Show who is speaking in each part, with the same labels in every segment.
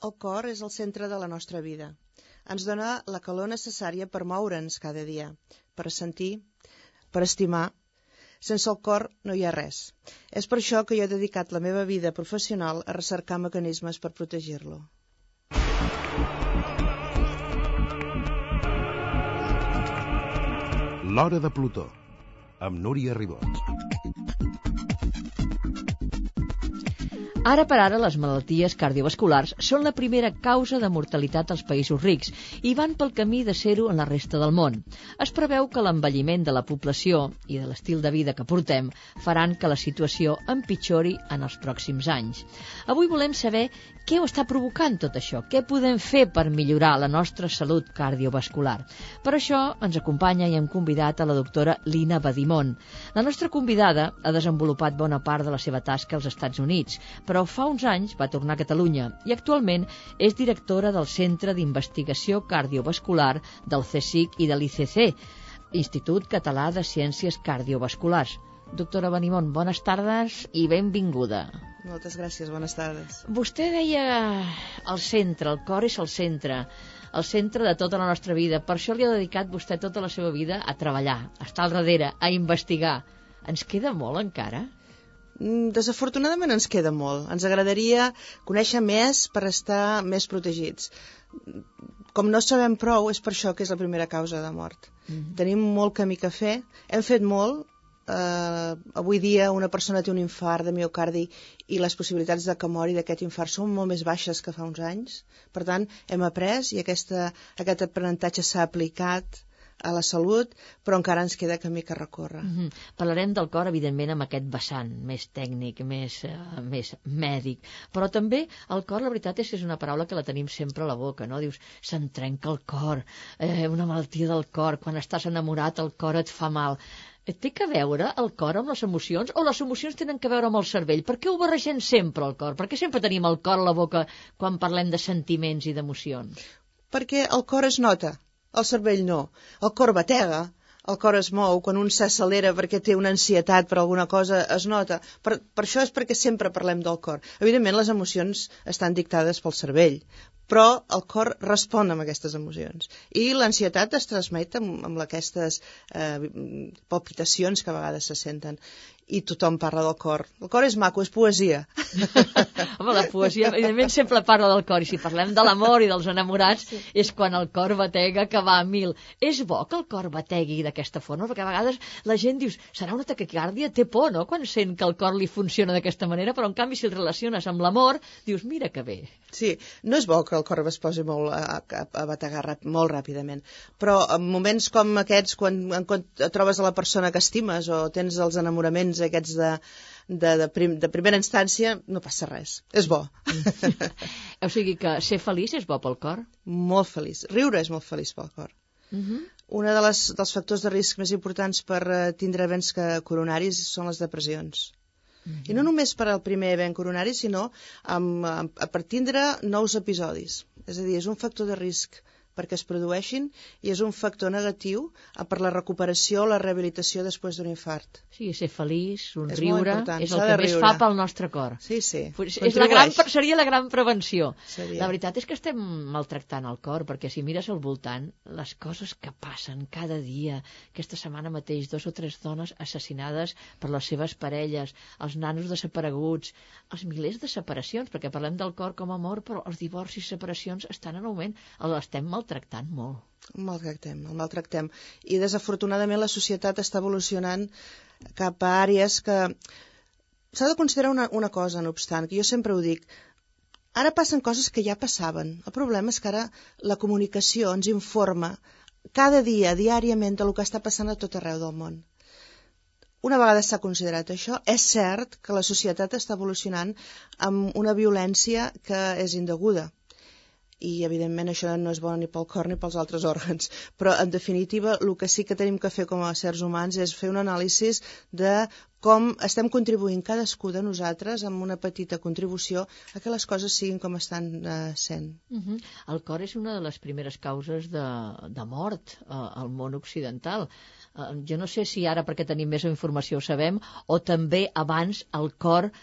Speaker 1: El cor és el centre de la nostra vida. Ens dona la calor necessària per moure'ns cada dia, per sentir, per estimar. Sense el cor no hi ha res. És per això que jo he dedicat la meva vida professional a recercar mecanismes per protegir-lo.
Speaker 2: L'Hora de Plutó, amb Núria Ribot.
Speaker 3: Ara per ara, les malalties cardiovasculars són la primera causa de mortalitat als països rics i van pel camí de ser-ho en la resta del món. Es preveu que l'envelliment de la població i de l'estil de vida que portem faran que la situació empitjori en els pròxims anys. Avui volem saber què ho està provocant tot això, què podem fer per millorar la nostra salut cardiovascular. Per això ens acompanya i hem convidat a la doctora Lina Badimon. La nostra convidada ha desenvolupat bona part de la seva tasca als Estats Units, però fa uns anys va tornar a Catalunya i actualment és directora del Centre d'Investigació Cardiovascular del CSIC i de l'ICC, Institut Català de Ciències Cardiovasculars. Doctora Badimon, bones tardes i benvinguda.
Speaker 1: Moltes gràcies, bones tardes.
Speaker 3: Vostè deia el centre, el cor és el centre de tota la nostra vida. Per això li ha dedicat vostè tota la seva vida a treballar, a estar al darrere, a investigar. Ens queda molt encara?
Speaker 1: Desafortunadament ens queda molt. Ens agradaria conèixer més per estar més protegits. Com no sabem prou, és per això que és la primera causa de mort. Tenim molt camí a fer, hem fet molt. Avui dia una persona té un infart de miocardi i les possibilitats de que mori d'aquest infart són molt més baixes que fa uns anys. Per tant, hem après i aquest aprenentatge s'ha aplicat a la salut, però encara ens queda camí que recórrer.
Speaker 3: Parlarem del cor, evidentment, amb aquest vessant més tècnic, més mèdic, però també el cor, la veritat és que és una paraula que la tenim sempre a la boca, no? Dius, se'n trenca el cor, una malaltia del cor, quan estàs enamorat el cor et fa mal. Té que veure el cor amb les emocions o les emocions tenen que veure amb el cervell? Per què ho barregem sempre el cor? Per què sempre tenim el cor a la boca quan parlem de sentiments i d'emocions? Perquè
Speaker 1: el cor es nota, el cervell no. El cor batega, el cor es mou, quan un s'accelera perquè té una ansietat per alguna cosa es nota. Per això és perquè sempre parlem del cor. Evidentment les emocions estan dictades pel cervell, però el cor respon amb aquestes emocions. I l'ansietat es transmet amb aquestes palpitacions que a vegades se senten. I tothom parla del cor. El cor és maco, és poesia.
Speaker 3: Home, la poesia, evidentment, sempre parla del cor. I si parlem de l'amor i dels enamorats, és quan el cor batega que va a 1000. És bo que el cor bategui d'aquesta forma, perquè a vegades la gent dius, serà una taquicàrdia? Té por, no?, quan sent que el cor li funciona d'aquesta manera, però en canvi si el relaciones amb l'amor, dius, mira que bé.
Speaker 1: Sí, no és bo que el cor es posi molt a bategar molt ràpidament, però en moments com aquests, quan trobes a la persona que estimes o tens els enamoraments aquests de primera instància, no passa res. És bo.
Speaker 3: O sigui que ser feliç és bo pel cor?
Speaker 1: Molt feliç. Riure és molt feliç pel cor. Un dels factors de risc més importants per tindre events coronaris són les depressions. I no només per al primer event coronari, sinó per tindre nous episodis. És a dir, és un factor de risc perquè es produeixin i és un factor negatiu per la recuperació o la rehabilitació després d'un infart.
Speaker 3: Sí, ser feliç, somriure, és el que més fa pel nostre cor.
Speaker 1: Sí.
Speaker 3: Seria la gran prevenció.
Speaker 1: Seria.
Speaker 3: La veritat és que estem maltractant el cor, perquè si mires al voltant, les coses que passen cada dia, aquesta setmana mateix 2 o 3 dones assassinades per les seves parelles, els nanos desapareguts, els milers de separacions, perquè parlem del cor com a mort, però els divorcis i separacions estan en augment, l'estem maltractant molt.
Speaker 1: El maltractem. I desafortunadament la societat està evolucionant cap a àrees que s'ha de considerar una cosa, no obstant, que jo sempre ho dic. Ara passen coses que ja passaven. El problema és que ara la comunicació ens informa cada dia, diàriament, del que està passant a tot arreu del món. Una vegada s'ha considerat això, és cert que la societat està evolucionant amb una violència que és indeguda. I, evidentment, això no és bo ni pel cor ni pels altres òrgans. Però, en definitiva, el que sí que tenim que fer com a éssers humans és fer un anàlisi de com estem contribuint cadascú de nosaltres amb una petita contribució a que les coses siguin com estan sent.
Speaker 3: El cor és una de les primeres causes de mort al món occidental. Jo no sé si ara perquè tenim més informació ho sabem, o també abans el cor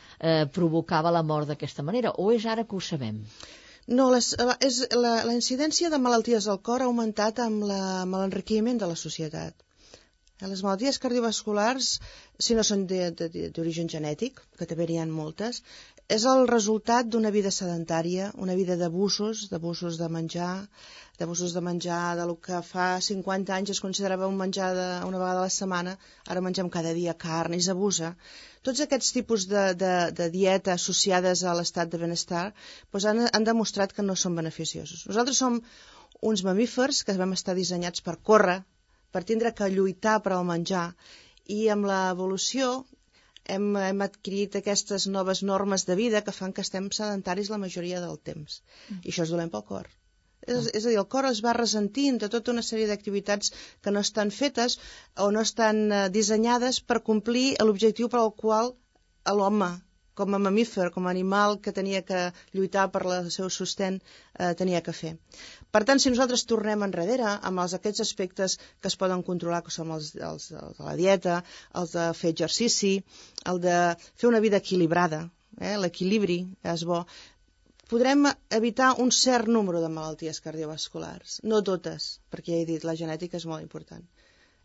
Speaker 3: provocava la mort d'aquesta manera, o és ara que ho sabem?
Speaker 1: No, la incidència de malalties del cor ha augmentat amb l'enriquiment de la societat. Les malalties cardiovasculars, si no són d'origen genètic, que també n'hi ha moltes, és el resultat d'una vida sedentària, una vida d'abusos de menjar, del que fa 50 anys es considerava un menjar una vegada a la setmana, ara mengem cada dia carn i s'abusa. Tots aquests tipus de dieta associades a l'estat de benestar doncs han demostrat que no són beneficiosos. Nosaltres som uns mamífers que vam estar dissenyats per córrer, per tindre que lluitar per al menjar, i amb l'evolució hem adquirit aquestes noves normes de vida que fan que estem sedentaris la majoria del temps. I això és dolent pel cor. És a dir, el cor es va ressentint de tota una sèrie d'activitats que no estan fetes o no estan dissenyades per complir l'objectiu per al qual l'home, com a mamífer, com a animal que tenia que lluitar per el seu sostén, tenia que fer. Per tant, si nosaltres tornem enrere amb aquests aspectes que es poden controlar, que són els de la dieta, els de fer exercici, el de fer una vida equilibrada, l'equilibri és bo, podrem evitar un cert número de malalties cardiovasculars. No totes, perquè ja he dit, la genètica és molt important.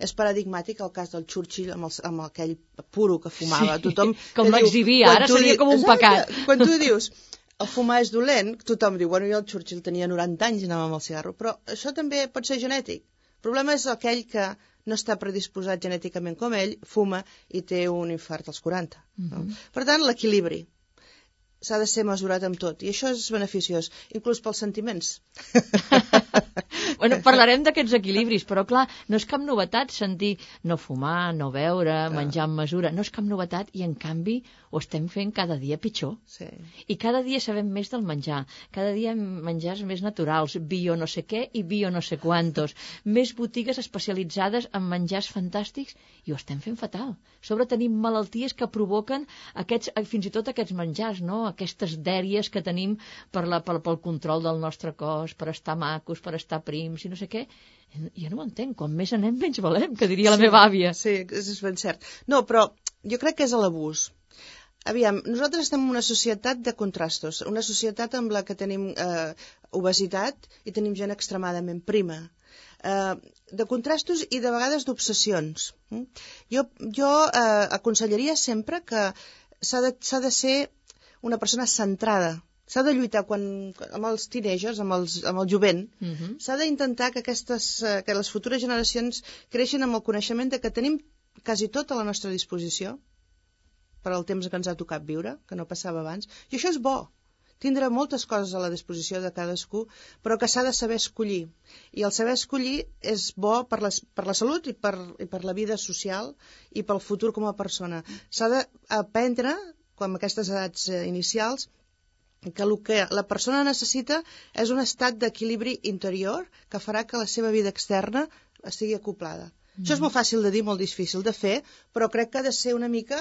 Speaker 1: És paradigmàtic el cas del Churchill amb aquell puro que fumava.
Speaker 3: Sí, tothom com l'exhibia, ara seria com un pecat.
Speaker 1: Quan tu dius, el fumar és dolent, tothom diu, bueno, jo el Churchill tenia 90 anys i anava amb el cigarro, però això també pot ser genètic. El problema és aquell que no està predisposat genèticament com ell, fuma i té un infart als 40. No? Per tant, l'equilibri s'ha de ser mesurat amb tot, i això és beneficiós, inclús pels sentiments.
Speaker 3: Bueno, parlarem d'aquests equilibris, però clar, no és cap novetat sentir no fumar, no beure, menjar amb mesura, no és cap novetat, i en canvi ho estem fent cada dia pitjor.
Speaker 1: Sí.
Speaker 3: I cada dia sabem més del menjar, cada dia menjars més naturals, bio no sé què i bio no sé quantos, més botigues especialitzades en menjars fantàstics, i ho estem fent fatal. A sobre tenim malalties que provoquen fins i tot aquests menjars, no? Aquestes dèries que tenim pel control del nostre cos, per estar macos, per estar prims i no sé què. Jo no ho entenc, com més anem menys valem, que diria la meva àvia.
Speaker 1: Sí, és ben cert. No, però jo crec que és l'abús. Aviam, nosaltres estem en una societat de contrastos, una societat amb la que tenim obesitat i tenim gent extremadament prima. De contrastos i de vegades d'obsessions. Jo aconsellaria sempre que s'ha de ser una persona centrada. S'ha de lluitar amb els teenagers, amb el jovent. S'ha d'intentar que les futures generacions creixin amb el coneixement de que tenim quasi tot a la nostra disposició per al temps que ens ha tocat viure, que no passava abans. I això és bo, tindre moltes coses a la disposició de cadascú, però que s'ha de saber escollir. I el saber escollir és bo per la salut i per la vida social i pel futur com a persona. S'ha d'aprendre, com aquestes edats inicials, que el que la persona necessita és un estat d'equilibri interior que farà que la seva vida externa estigui acoplada. Això és molt fàcil de dir, molt difícil de fer, però crec que ha de ser una mica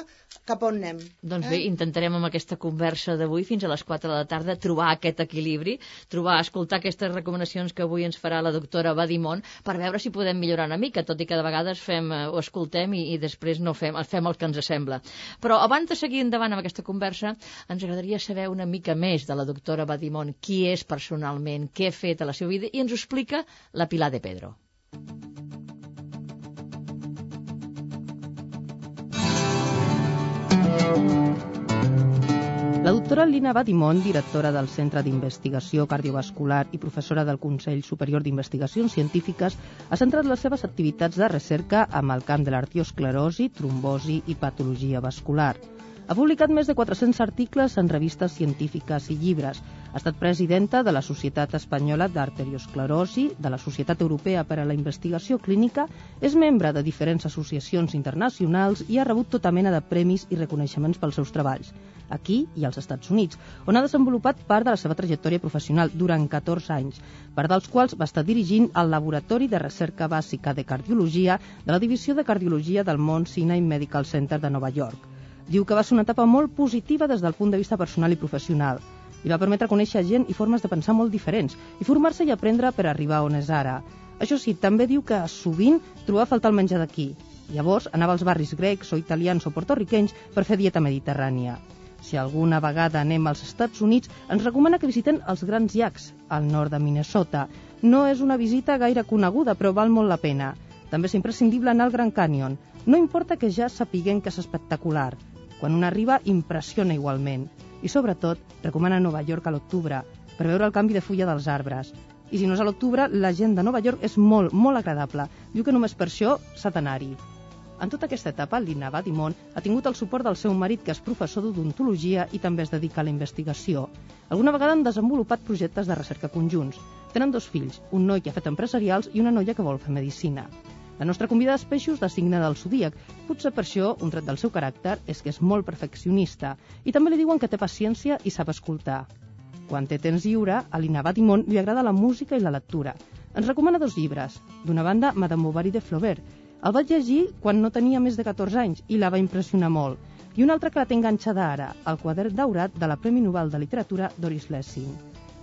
Speaker 1: cap on anem.
Speaker 3: Doncs bé, intentarem amb aquesta conversa d'avui fins a les 4 de la tarda trobar aquest equilibri, escoltar aquestes recomanacions que avui ens farà la doctora Badimon per veure si podem millorar una mica, tot i que de vegades ho escoltem i després no fem el que ens sembla. Però abans de seguir endavant amb aquesta conversa, ens agradaria saber una mica més de la doctora Badimon, qui és personalment, què ha fet a la seva vida, i ens ho explica la Pilar de Pedro.
Speaker 4: La doctora Lina Badimon, directora del Centre d'Investigació Cardiovascular i professora del Consell Superior d'Investigacions Científiques, ha centrat les seves activitats de recerca amb el camp de l'arteriosclerosi, trombosi i patologia vascular. Ha publicat més de 400 articles en revistes científiques i llibres. Ha estat presidenta de la Societat Espanyola d'Arteriosclerosi, de la Societat Europea per a la Investigació Clínica, és membre de diferents associacions internacionals i ha rebut tota mena de premis i reconeixements pels seus treballs, aquí i als Estats Units, on ha desenvolupat part de la seva trajectòria professional durant 14 anys, part dels quals va estar dirigint el Laboratori de Recerca Bàsica de Cardiologia de la Divisió de Cardiologia del Mount Sinai Medical Center de Nova York. Diu que va ser una etapa molt positiva des del punt de vista personal i professional. Li va permetre conèixer gent i formes de pensar molt diferents i formar-se i aprendre per arribar on és ara. Això sí, també diu que sovint trobava a faltar el menjar d'aquí. Llavors anava als barris grecs o italians o portorriquenys per fer dieta mediterrània. Si alguna vegada anem als Estats Units, ens recomana que visitem els Grans Llacs, al nord de Minnesota. No és una visita gaire coneguda, però val molt la pena. També és imprescindible anar al Grand Canyon. No importa que ja sapiguem que és espectacular. Quan un arriba, impressiona igualment. I sobretot, recomana Nova York a l'octubre, per veure el canvi de fulla dels arbres. I si no és a l'octubre, la gent de Nova York és molt, molt agradable. Diu que només per això s'ha d'anar-hi. En tota aquesta etapa, Lina Badimon ha tingut el suport del seu marit, que és professor d'odontologia i també es dedica a la investigació. Alguna vegada han desenvolupat projectes de recerca conjunts. Tenen 2 fills, un noi que ha fet empresarials i una noia que vol fer medicina. La nostra convidada és Peixos, de signe del zodíac. Potser per això, un tret del seu caràcter és que és molt perfeccionista i també li diuen que té paciència i sap escoltar. Quan té temps lliure, a Lina Badimon li agrada la música i la lectura. Ens recomana 2 llibres. D'una banda, Madame Bovary de Flaubert. El vaig llegir quan no tenia més de 14 anys i la va impressionar molt. I un altre que la té enganxada ara, El quadern daurat de la Premi Nobel de Literatura Doris Lessing.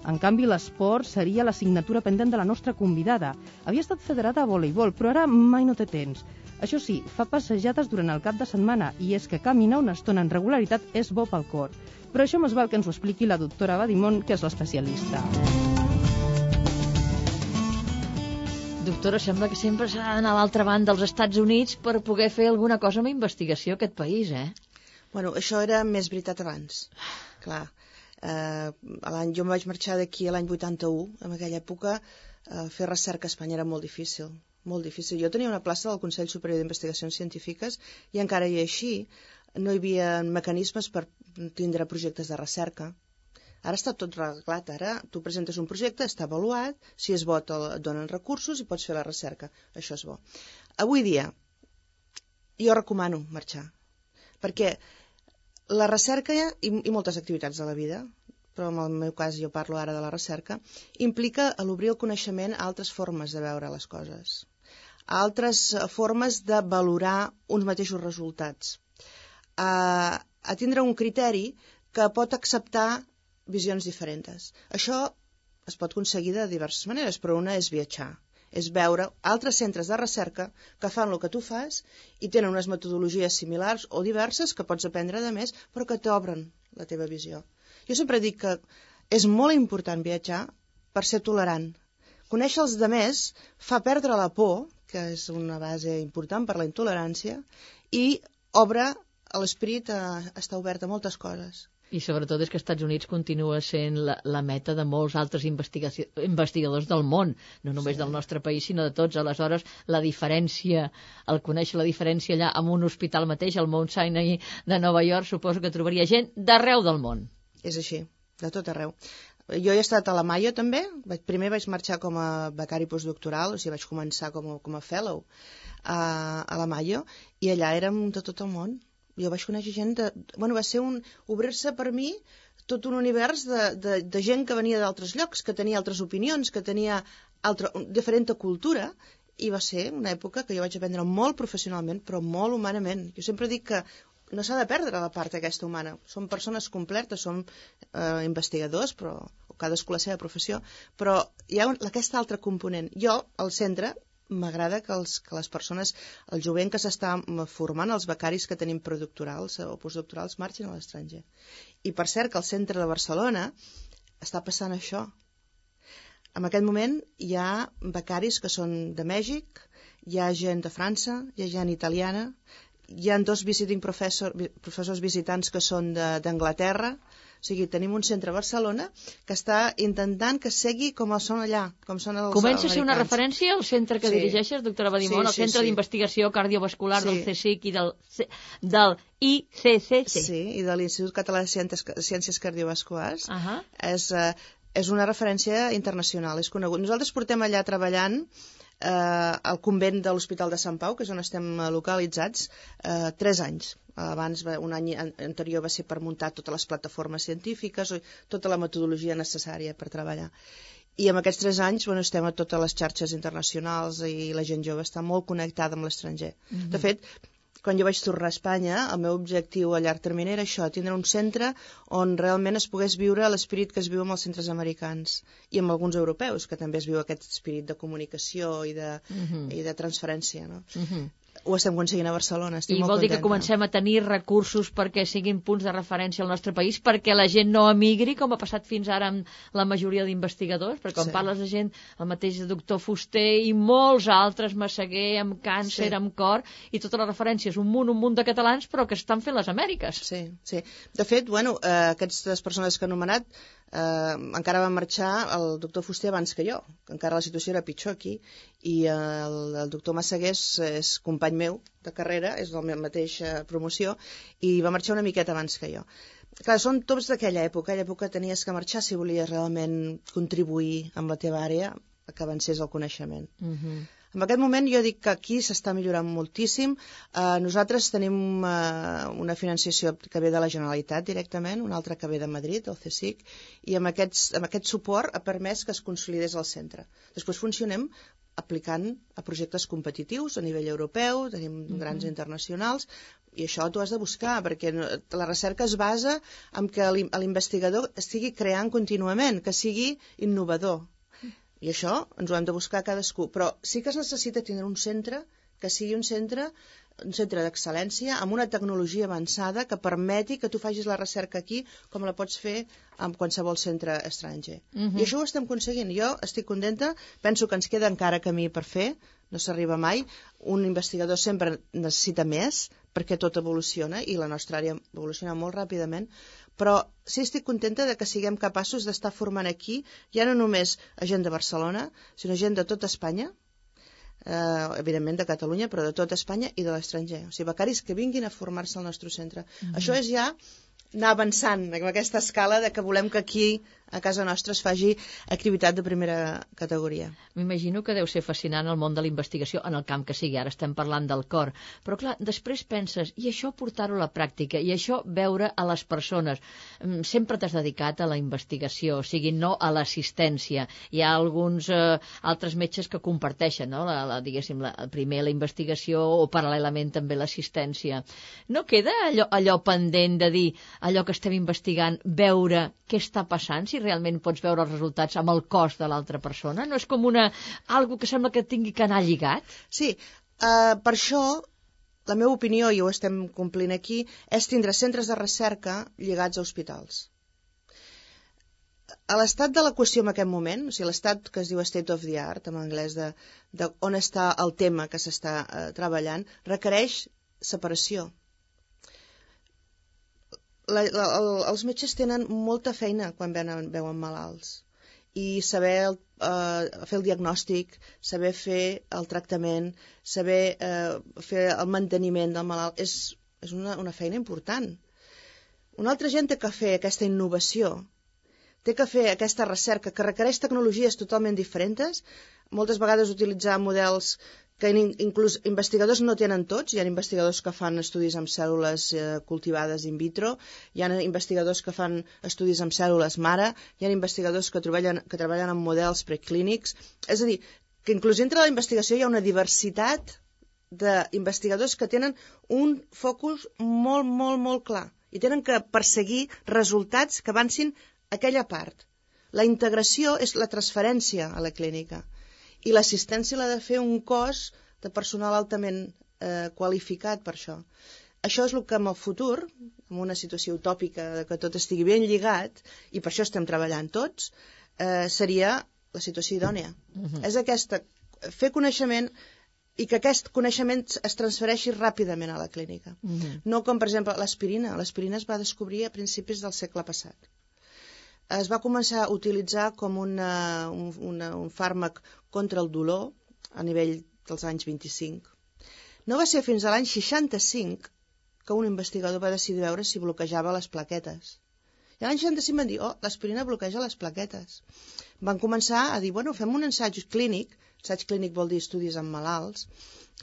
Speaker 4: En canvi, l'esport seria l'assignatura pendent de la nostra convidada. Havia estat federada a voleibol, però ara mai no té temps. Això sí, fa passejades durant el cap de setmana i és que caminar una estona en regularitat és bo pel cor. Però això més val que ens ho expliqui la doctora Badimon, que és l'especialista.
Speaker 3: Doctora, sembla que sempre s'ha d'anar a l'altra banda dels Estats Units per poder fer alguna cosa amb investigació a aquest país,
Speaker 1: Bueno, això era més veritat abans. Clar, jo em vaig marxar d'aquí l'any 81, en aquella època fer recerca a Espanya era molt difícil, molt difícil. Jo tenia una plaça del Consell Superior d'Investigacions Científiques i encara i així no hi havia mecanismes per tindre projectes de recerca. Ara està tot reglat, ara tu presentes un projecte, està avaluat, si és bo et donen recursos i pots fer la recerca, això és bo. Avui dia, jo recomano marxar, perquè la recerca i moltes activitats de la vida, però en el meu cas jo parlo ara de la recerca, implica l'obrir el coneixement a altres formes de veure les coses, a altres formes de valorar uns mateixos resultats, a tindre un criteri que pot acceptar visions diferents. Això es pot aconseguir de diverses maneres, però una és viatjar, és veure altres centres de recerca que fan el que tu fas i tenen unes metodologies similars o diverses que pots aprendre de més, però que t'obren la teva visió. Jo sempre dic que és molt important viatjar per ser tolerant. Conèixer els demés fa perdre la por, que és una base important per la intolerància, i obre l'esperit a estar obert a moltes coses.
Speaker 3: I sobretot és que els Estats Units continua sent la meta de molts altres investigadors del món, no només del nostre país, sinó de tots. Aleshores, la diferència, el conèixer la diferència allà en un hospital mateix, al Mount Sinai de Nova York, suposo que trobaria gent d'arreu del món.
Speaker 1: És així, de tot arreu. Jo he estat a la Mayo també, primer vaig marxar com a becari postdoctoral, o sigui, vaig començar com a fellow a la Mayo, i allà érem de tot el món. Jo vaig conèixer gent va ser obrir-se per mi tot un univers de gent que venia d'altres llocs, que tenia altres opinions, que tenia diferent cultura, i va ser una època que jo vaig aprendre molt professionalment, però molt humanament. Jo sempre dic que no s'ha de perdre la part aquesta humana. Som persones completes, som investigadors, però cadascú la seva professió, però hi ha aquesta altra component. Jo, al centre, m'agrada que les persones, el jovent que s'està formant, els becaris que tenim predoctorals o postdoctorals, marxin a l'estranger. I per cert que al centre de Barcelona està passant això. En aquest moment hi ha becaris que són de Mèxic, hi ha gent de França, hi ha gent italiana, hi ha 2 professors visitants que són d'Anglaterra. O sigui, tenim un centre a Barcelona que està intentant que segui com són allà, com són els americans.
Speaker 3: Comença a ser una referència al centre que dirigeixes, doctora Badimon, el Centre d'Investigació Cardiovascular del CSIC i del ICCC.
Speaker 1: Sí, i de l'Institut Català de Ciències Cardiovasculars. És una referència internacional, és conegut. Nosaltres portem allà treballant al convent de l'Hospital de Sant Pau, que és on estem localitzats, 3 anys. Abans, un any anterior va ser per muntar totes les plataformes científiques, tota la metodologia necessària per treballar. I en aquests 3 anys estem a totes les xarxes internacionals i la gent jove està molt connectada amb l'estranger. De fet, quan jo vaig tornar a Espanya, el meu objectiu a llarg termini era això, tindre un centre on realment es pogués viure l'esperit que es viu amb els centres americans i amb alguns europeus, que també es viu aquest esperit de comunicació i de transferència. No? ho estem aconseguint a Barcelona, estic
Speaker 3: I
Speaker 1: molt
Speaker 3: vol dir que
Speaker 1: contenta.
Speaker 3: comencem a tenir recursos perquè siguin punts de referència al nostre país, perquè la gent no emigri, com ha passat fins ara amb la majoria d'investigadors, perquè quan parles de gent, el mateix doctor Fuster i molts altres, Massaguer, amb càncer, amb cor, i totes les referències, un munt de catalans, però que estan fent les Amèriques.
Speaker 1: Sí, sí. De fet, bueno, aquestes persones que he anomenat encara va marxar el doctor Fuster abans que jo, que encara la situació era pitjor aquí, i el doctor Massaguer és company meu de carrera, és de la mateixa promoció, i va marxar una miqueta abans que jo. Clar, són tots d'aquella època. Aquella època tenies que marxar si volies realment contribuir amb la teva àrea a que avancés el coneixement. En aquest moment jo dic que aquí s'està millorant moltíssim. Nosaltres tenim una financiació que ve de la Generalitat directament, una altra que ve de Madrid, el CSIC, i amb aquest suport ha permès que es consolidés el centre. Després funcionem aplicant a projectes competitius a nivell europeu, tenim grans internacionals, i això t'ho has de buscar, perquè la recerca es basa en que l'investigador estigui creant contínuament, que sigui innovador. I això ens ho hem de buscar cadascú. Però sí que es necessita tenir un centre que sigui un centre d'excel·lència amb una tecnologia avançada que permeti que tu facis la recerca aquí com la pots fer amb qualsevol centre estranger. I això ho estem aconseguint. Jo estic contenta, penso que ens queda encara camí per fer, no s'arriba mai. Un investigador sempre necessita més perquè tot evoluciona i la nostra àrea evoluciona molt ràpidament, però sí estic contenta de que siguem capaços d'estar formant aquí ja no només a gent de Barcelona, sinó gent de tota Espanya, evidentment de Catalunya, però de tota Espanya i de l'estranger. O sigui, becaris que vinguin a formar-se al nostre centre. Això és ja anar avançant amb aquesta escala de que volem que aquí a casa nostra es faci activitat de primera categoria.
Speaker 3: M'imagino que deu ser fascinant el món de la investigació en el camp que sigui, ara estem parlant del cor, però clar, després penses, i això portar-ho a la pràctica, i això veure a les persones. Sempre t'has dedicat a la investigació, o sigui, no a l'assistència. Hi ha alguns altres metges que comparteixen, no? Diguéssim, primer la investigació o paral·lelament també l'assistència. No queda allò pendent de dir, allò que estem investigant, veure què està passant, si realment pots veure els resultats amb el cos de l'altra persona? No és com algo que sembla que tingui que anar lligat?
Speaker 1: Sí, per això la meva opinió, i ho estem complint aquí, és tindre centres de recerca lligats a hospitals. A l'estat de la qüestió en aquest moment, o sigui, l'estat que es diu state of the art, en anglès, de on està el tema que s'està treballant, requereix separació. Els metges tenen molta feina quan veuen malalts i saber fer el diagnòstic, saber fer el tractament, saber fer el manteniment del malalt és una feina important. Una altra gent té que fer aquesta innovació, té que fer aquesta recerca que requereix tecnologies totalment diferents, moltes vegades utilitzar models que inclús investigadors no tenen tots. Hi ha investigadors que fan estudis amb cèl·lules cultivades in vitro, hi ha investigadors que fan estudis amb cèl·lules mare, hi ha investigadors que treballen amb models preclínics. És a dir, que inclús entre la investigació hi ha una diversitat d'investigadors que tenen un focus molt, molt, molt clar i tenen que perseguir resultats que avancin aquella part. La integració és la transferència a la clínica. I l'assistència l'ha de fer un cos de personal altament qualificat per això. Això és el que en el futur, en una situació utòpica de que tot estigui ben lligat, i per això estem treballant tots, seria la situació idònia. És aquesta, fer coneixement i que aquest coneixement es transfereixi ràpidament a la clínica. No com, per exemple, l'aspirina. L'aspirina es va descobrir a principis del segle passat. Es va començar a utilitzar com un fàrmac contra el dolor a nivell dels anys 25. No va ser fins a l'any 65 que un investigador va decidir veure si bloquejava les plaquetes. I l'any 65 van dir, l'aspirina bloqueja les plaquetes. Van començar a dir, fem un ensaig clínic vol dir estudis amb malalts,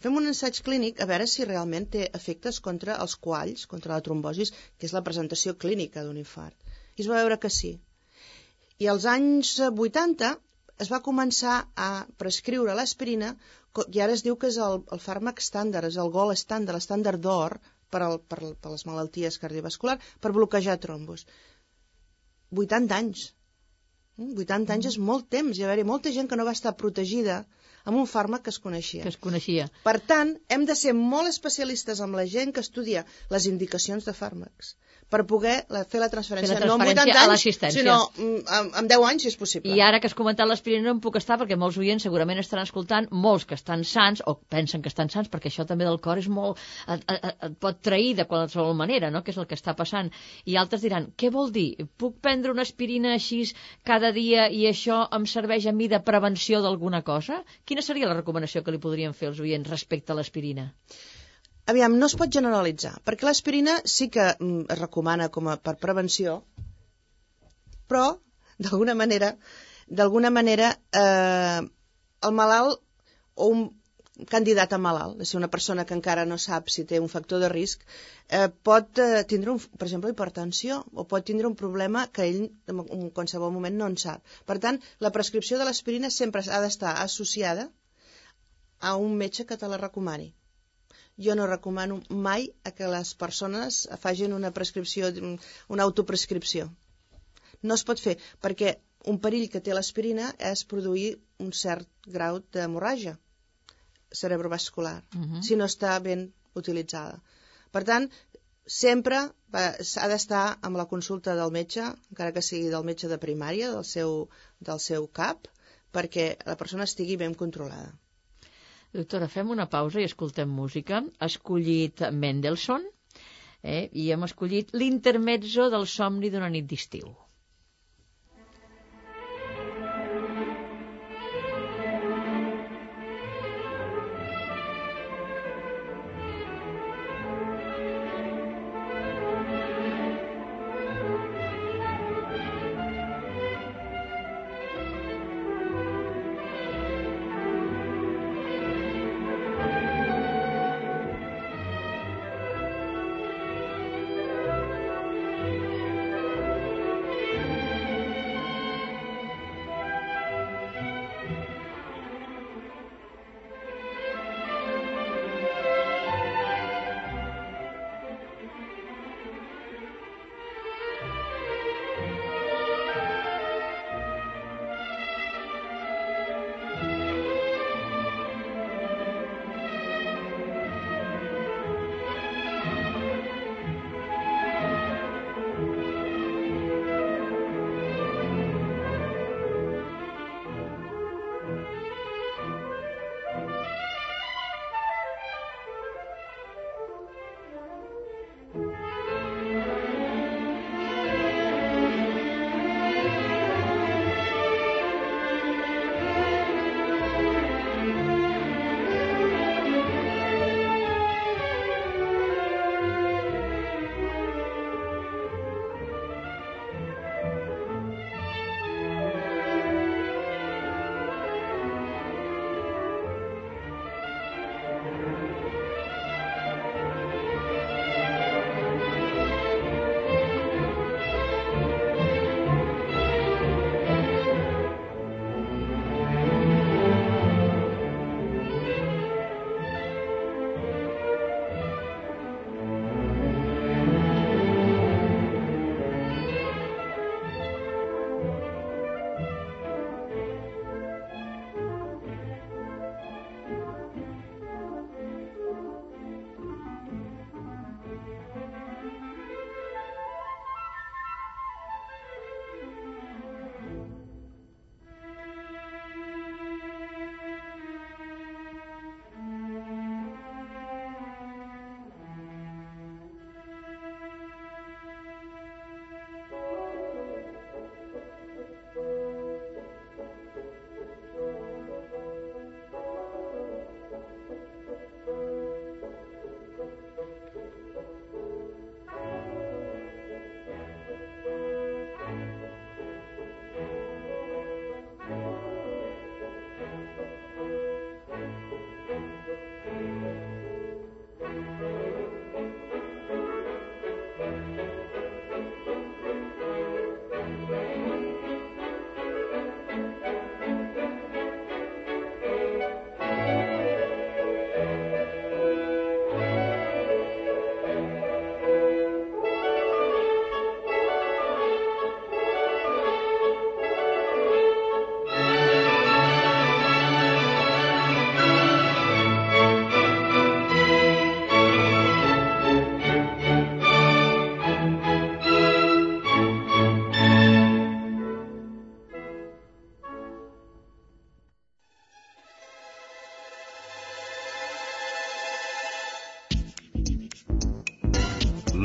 Speaker 1: fem un ensaig clínic a veure si realment té efectes contra els coalls, contra la trombosis, que és la presentació clínica d'un infart. I es va veure que sí. I als anys 80 es va començar a prescriure l'aspirina, i ara es diu que és el fàrmac estàndard, és el gold estàndard, l'estàndard d'or per les malalties cardiovasculars, per bloquejar trombos. 80 anys. 80 anys és molt temps, hi va haver molta gent que no va estar protegida amb un fàrmac que es coneixia.
Speaker 3: Que es coneixia.
Speaker 1: Per tant, hem de ser molt especialistes amb la gent que estudia les indicacions de fàrmacs per poder fer la transferència, no amb 80 anys, sinó amb 10 anys, si és possible.
Speaker 3: I ara que has comentat l'aspirina no em puc estar, perquè molts oients segurament estan escoltant, molts que estan sans, o pensen que estan sans, perquè això també del cor és molt... et pot trair de qualsevol manera, no?, que és el que està passant. I altres diran, què vol dir? Puc prendre una aspirina així cada dia i això em serveix a mi de prevenció d'alguna cosa? Quina seria la recomanació que li podrien fer els oients respecte a l'aspirina?
Speaker 1: Aviam, no es pot generalitzar, perquè l'aspirina sí que es recomana per prevenció, però, d'alguna manera, el malalt o un candidat a malalt, és una persona que encara no sap si té un factor de risc, pot tindre, per exemple, hipertensió, o pot tindre un problema que ell en qualsevol moment no en sap. Per tant, la prescripció de l'aspirina sempre ha d'estar associada a un metge que te la recomani. Jo no recomano mai que les persones facin una prescripció, una autoprescripció. No es pot fer, perquè un perill que té l'aspirina és produir un cert grau d'hemorràgia cerebrovascular, si no està ben utilitzada. Per tant, sempre ha d'estar amb la consulta del metge, encara que sigui del metge de primària, del seu CAP, perquè la persona estigui ben controlada.
Speaker 3: Doctora, fem una pausa i escoltem música. Ha escollit Mendelssohn i hem escollit l'intermezzo del somni d'una nit d'estiu.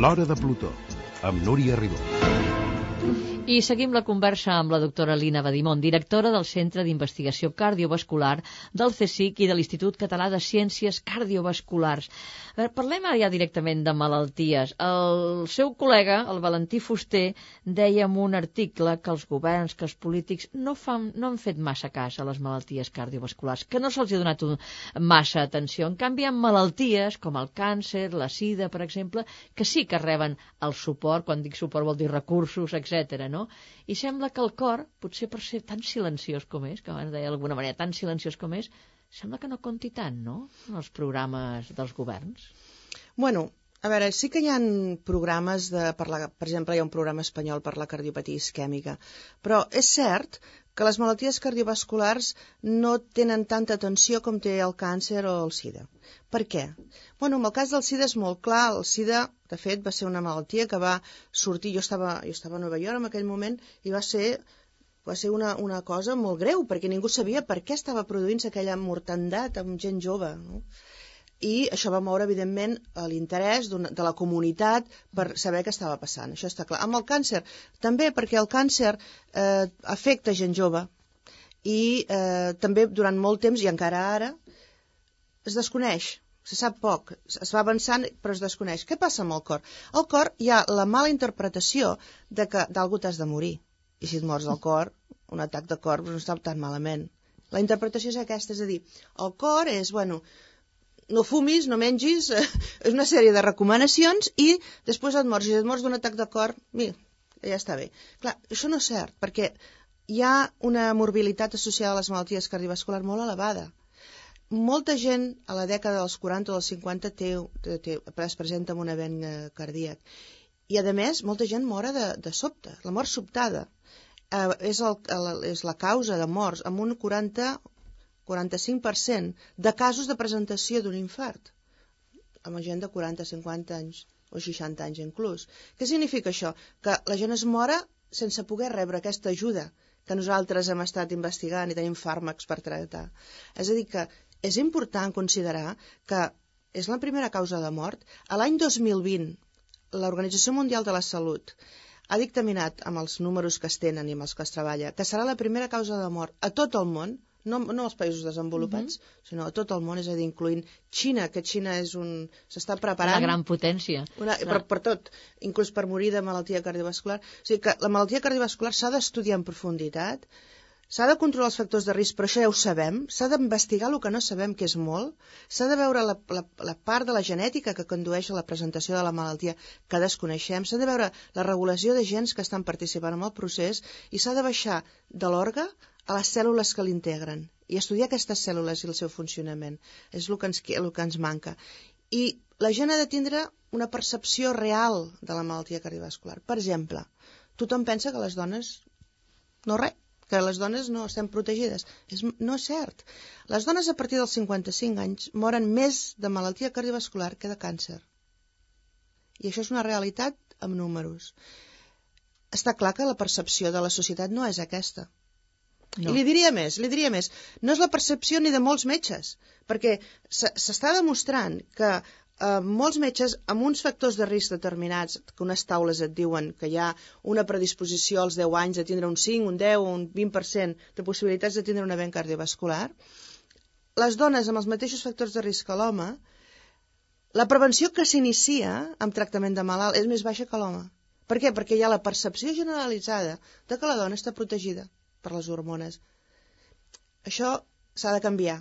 Speaker 2: L'Hora de Plutó, amb Núria Ribó.
Speaker 3: I seguim la conversa amb la doctora Lina Badimon, directora del Centre d'Investigació Cardiovascular del CSIC i de l'Institut Català de Ciències Cardiovasculars. Parlem ara ja directament de malalties. El seu col·lega, el Valentí Fuster, deia en un article que els governs, que els polítics no han fet massa cas a les malalties cardiovasculars, que no se'ls ha donat massa atenció. En canvi, hi ha malalties com el càncer, la sida, per exemple, que sí que reben el suport, quan dic suport vol dir recursos, etc. No? I sembla que el cor, potser per ser tan silenciós com és, que abans deia d'alguna manera tan silenciós com és, sembla que no compti tant, no?, en els programes dels governs.
Speaker 1: Bueno, a veure, sí que hi ha programes per exemple, hi ha un programa espanyol per la cardiopatia isquèmica, però és cert que les malalties cardiovasculars no tenen tanta atenció com té el càncer o el sida. Per què? Bueno, en el cas del sida és molt clar. El sida, de fet, va ser una malaltia que va sortir... Jo estava a Nova York en aquell moment i va ser una cosa molt greu, perquè ningú sabia per què estava produint-se aquella mortandat amb gent jove, no? I això va moure, evidentment, l'interès de la comunitat per saber què estava passant. Això està clar. Amb el càncer, també, perquè el càncer afecta gent jove i també durant molt temps, i encara ara, es desconeix. Se sap poc, es va avançant, però es desconeix. Què passa amb el cor? Al cor hi ha la mala interpretació de que d'algú t'has de morir. I si et mors del cor, un atac de cor no està tan malament. La interpretació és aquesta, és a dir, el cor és, bueno... no fumis, no mengis, és una sèrie de recomanacions i després et mors. Si et mors d'un atac de cor, mira, ja està bé. Clar, això no és cert, perquè hi ha una morbilitat associada a les malalties cardiovasculars molt elevada. Molta gent a la dècada dels 40 o dels 50 es presenta amb un event cardíac. I, a més, molta gent mora de sobte, la mort sobtada. És la causa de morts, amb un 45% de casos de presentació d'un infart, amb gent de 40, 50 anys o 60 anys inclús. Què significa això? Que la gent es mora sense poder rebre aquesta ajuda que nosaltres hem estat investigant i tenim fàrmacs per tractar. És a dir, que és important considerar que és la primera causa de mort. A l'any 2020, l'Organització Mundial de la Salut ha dictaminat, amb els números que es tenen i amb els que es treballa, que serà la primera causa de mort a tot el món, no als països desenvolupats, sinó a tot el món, és a dir, incloent Xina, que Xina s'està preparant...
Speaker 3: Una gran potència.
Speaker 1: Per tot, inclús per morir de malaltia cardiovascular. O sigui que la malaltia cardiovascular s'ha d'estudiar en profunditat, s'ha de controlar els factors de risc, però això ja ho sabem, s'ha d'investigar el que no sabem, que és molt, s'ha de veure la part de la genètica que condueix a la presentació de la malaltia que desconeixem, s'ha de veure la regulació de gens que estan participant en el procés i s'ha de baixar de l'orgue a les cèl·lules que l'integren i estudiar aquestes cèl·lules i el seu funcionament. És el que ens manca. I la gent ha de tindre una percepció real de la malaltia cardiovascular. Per exemple, tothom pensa que les dones que les dones no estem protegides. No és cert. Les dones a partir dels 55 anys moren més de malaltia cardiovascular que de càncer. I això és una realitat amb números. Està clar que la percepció de la societat no és aquesta. No. I li diria més, no és la percepció ni de molts metges, perquè s'està demostrant que molts metges amb uns factors de risc determinats, que unes taules et diuen que hi ha una predisposició als 10 anys de tindre un 5, un 10 o un 20% de possibilitats de tindre un event cardiovascular, les dones amb els mateixos factors de risc que l'home, la prevenció que s'inicia amb tractament de malalt és més baixa que l'home. Per què? Perquè hi ha la percepció generalitzada de que la dona està protegida per les hormones. Això s'ha de canviar.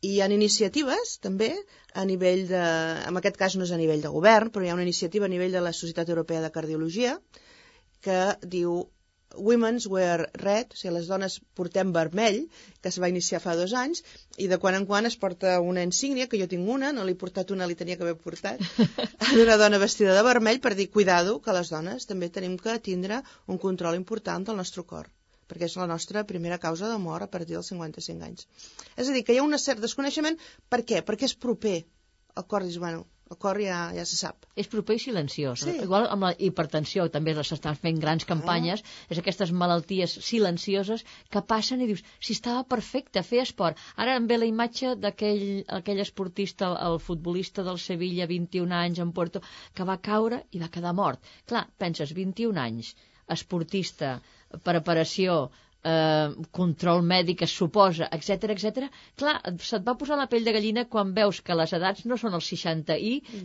Speaker 1: I hi ha iniciatives, també, a nivell de... En aquest cas no és a nivell de govern, però hi ha una iniciativa a nivell de la Societat Europea de Cardiologia que diu Women's Wear Red, o sigui, les dones portem vermell, que es va iniciar fa 2 anys, i de quan en quan es porta una insígnia, que jo tinc una, no l'he portat una, li tenia que haver portat, d'una dona vestida de vermell per dir, cuidado, que les dones també tenim que tindre un control important del nostre cor, perquè és la nostra primera causa de mort a partir dels 55 anys. És a dir, que hi ha un cert desconeixement. Per què? Perquè és proper. El cor dius, bueno, El cor ja se sap.
Speaker 3: És proper i silenciós.
Speaker 1: Sí.
Speaker 3: Igual amb la hipertensió, també s'estan fent grans campanyes, és aquestes malalties silencioses que passen i dius, si estava perfecte, fer esport. Ara em ve la imatge d'aquell esportista, el futbolista del Sevilla, 21 anys, en Puerto, que va caure i va quedar mort. Clar, penses, 21 anys, esportista, preparació, control mèdic es suposa, etc etc. Clar, se't va posar la pell de gallina quan veus que les edats no són els 60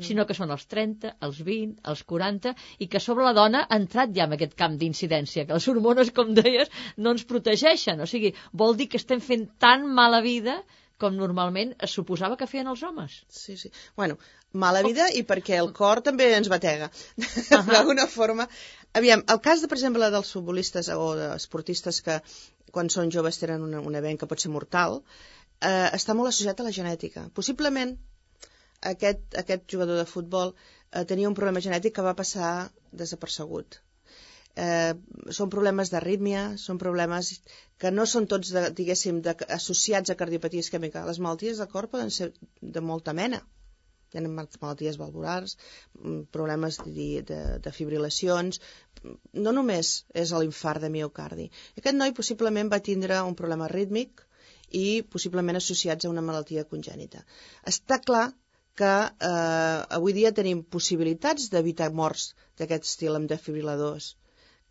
Speaker 3: sinó que són els 30, els 20, els 40, i que sobre la dona ha entrat ja en aquest camp d'incidència, que les hormones, com deies, no ens protegeixen. O sigui, vol dir que estem fent tan mala vida com normalment es suposava que feien els homes.
Speaker 1: Sí. Bueno, mala vida i perquè el cor també ens batega. D'alguna forma. Aviam, el cas, per exemple, dels futbolistes o d'esportistes que quan són joves tenen un event que pot ser mortal, està molt associat a la genètica. Possiblement aquest jugador de futbol tenia un problema genètic que va passar desapercebut. Són problemes d'arrítmia, són problemes que no són tots, diguéssim, associats a cardiopatia isquèmica. Les malalties del cor poden ser de molta mena. Hi ha malalties valvulars, problemes de fibrilacions. No només és l'infart de miocardi. Aquest noi possiblement va tindre un problema rítmic i possiblement associats a una malaltia congènita. Està clar que avui dia tenim possibilitats d'evitar morts d'aquest estil amb defibriladors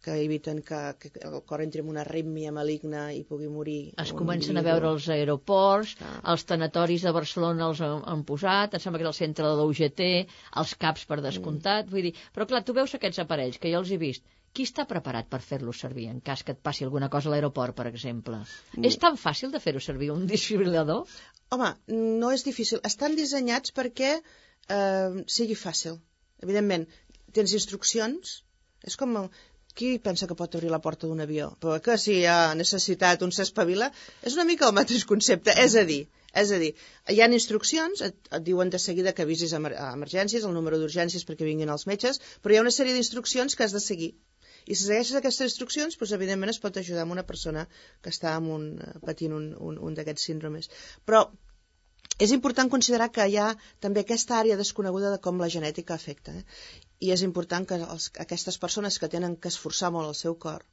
Speaker 1: que eviten que el cor entri en una arrítmia maligna i pugui morir.
Speaker 3: Es comencen a veure els aeroports, els tanatoris de Barcelona els han posat, em sembla que és el centre de l'UGT, els CAPs per descomptat, vull dir, però clar, tu veus aquests aparells, que jo els he vist, qui està preparat per fer-los servir en cas que et passi alguna cosa a l'aeroport, per exemple? És tan fàcil de fer-ho servir, un desfibrilador?
Speaker 1: Home, no és difícil. Estan dissenyats perquè sigui fàcil. Evidentment, tens instruccions, és com... Qui pensa que pot obrir la porta d'un avió? Però que si hi ha necessitat, un s'espavila, és una mica el mateix concepte. És a dir, hi ha instruccions, et diuen de seguida que avisis a emergències, el número d'urgències perquè vinguin els metges, però hi ha una sèrie d'instruccions que has de seguir. I si segueixes aquestes instruccions, doncs, evidentment es pot ajudar amb una persona que està patint un d'aquests síndromes. Però és important considerar que hi ha també aquesta àrea desconeguda de com la genètica afecta. I és important que aquestes persones que tenen que esforçar molt el seu cor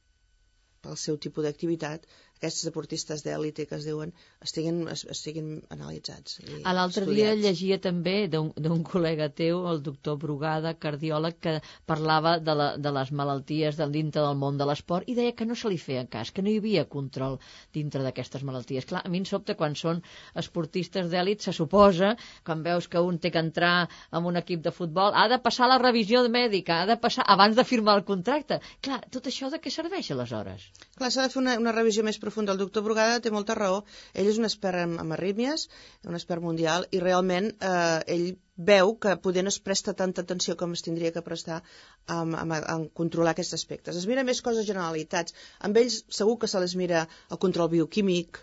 Speaker 1: pel seu tipus d'activitat, aquests deportistes d'èlite que es diuen, estiguin analitzats.
Speaker 3: A l'altre dia llegia també d'un col·lega teu, el doctor Brugada, cardiòleg, que parlava de les malalties dintre del món de l'esport i deia que no se li feia cas, que no hi havia control dintre d'aquestes malalties. Clar, a mi em sobta quan són esportistes d'èlit, se suposa, quan veus que un té que entrar en un equip de futbol, ha de passar la revisió mèdica, ha de passar abans de firmar el contracte. Clar, tot això de què serveix aleshores?
Speaker 1: Clar, s'ha de fer una revisió més profunda. El doctor Brugada té molta raó. Ell és un expert en arrítmies, un expert mundial, i realment ell veu que poder no es presta tanta atenció com es tindria que prestar en controlar aquests aspectes. Es mira més coses generalitats. Amb ells segur que se les mira el control bioquímic,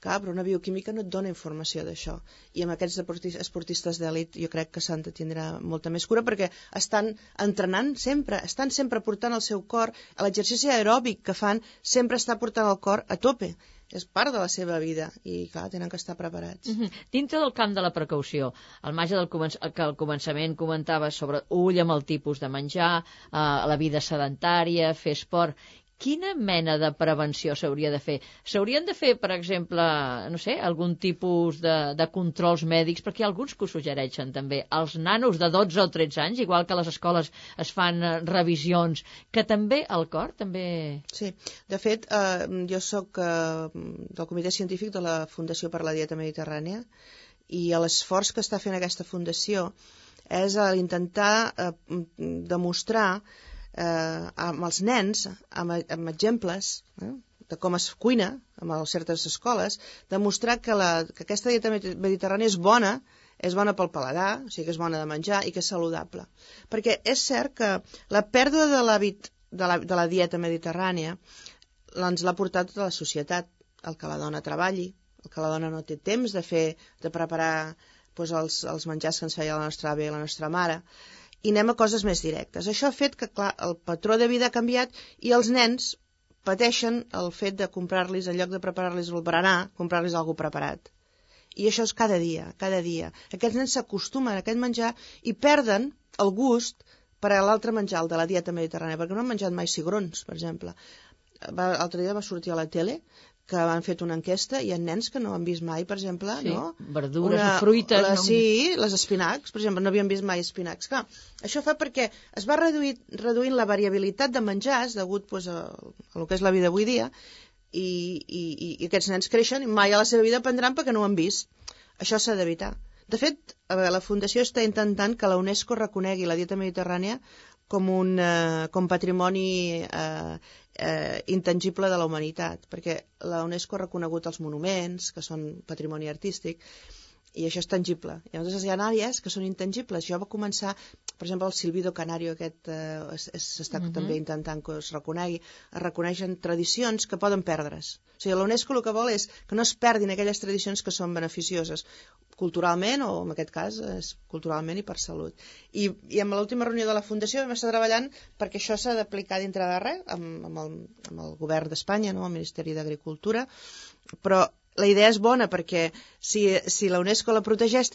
Speaker 1: però una bioquímica no et dona informació d'això. I amb aquests esportistes d'èlit jo crec que s'han de tindre molta més cura perquè estan entrenant sempre, estan sempre portant el seu cor, l'exercici aeròbic que fan sempre està portant el cor a tope. És part de la seva vida i, clar, tenen que estar preparats.
Speaker 3: Dintre del camp de la precaució, al marge que al començament comentaves sobre ull amb el tipus de menjar, la vida sedentària, fer esport... Quina mena de prevenció s'hauria de fer? S'haurien de fer, per exemple, no sé, algun tipus de controls mèdics, perquè hi ha alguns que ho suggereixen també. Els nanos de 12 o 13 anys, igual que a les escoles es fan revisions, que també el cor, també...
Speaker 1: Sí, de fet, jo soc del comitè científic de la Fundació per la Dieta Mediterrània i l'esforç que està fent aquesta fundació és intentar demostrar amb els nens, amb exemples de com es cuina en certes escoles, demostrar que aquesta dieta mediterrània és bona pel paladar, o sigui que és bona de menjar i que és saludable. Perquè és cert que la pèrdua de l'hàbit de la dieta mediterrània ens l'ha portat tota la societat, el que la dona treballi, el que la dona no té temps de preparar els menjars que ens feia la nostra àvia i la nostra mare, i anem a coses més directes. Això ha fet que, clar, el patró de vida ha canviat i els nens pateixen el fet de comprar-los, en lloc de preparar-los el berenar, comprar-los alguna preparat. I això és cada dia, cada dia. Aquests nens s'acostumen a aquest menjar i perden el gust per a l'altre menjar, el de la dieta mediterrània, perquè no han menjat mai cigrons, per exemple. L'altre dia va sortir a la tele que han fet una enquesta i hi ha nens que no han vist mai, per exemple,
Speaker 3: sí,
Speaker 1: no?
Speaker 3: verdures o fruites.
Speaker 1: Sí, les espinacs, per exemple, no havien vist mai espinacs. Clar, això fa perquè es va reduint la variabilitat de menjars degut pues, a el que és la vida avui dia i aquests nens creixen i mai a la seva vida aprendran perquè no ho han vist. Això s'ha d'evitar. De fet, la Fundació està intentant que la UNESCO reconegui la dieta mediterrània com patrimoni intangible de la humanitat, perquè la UNESCO ha reconegut els monuments, que són patrimoni artístic, i això és tangible. I llavors hi ha àrees que són intangibles. Jo va començar, per exemple, el silbido canario aquest s'està també intentant que es reconegui. Es reconeixen tradicions que poden perdre's. O sigui, la UNESCO el que vol és que no es perdin aquelles tradicions que són beneficioses culturalment, o en aquest cas és culturalment i per salut. I amb l'última reunió de la Fundació vam estar treballant perquè això s'ha d'aplicar dintre de res amb el govern d'Espanya, no? El Ministeri d'Agricultura, però la idea és bona perquè si la UNESCO la protegeix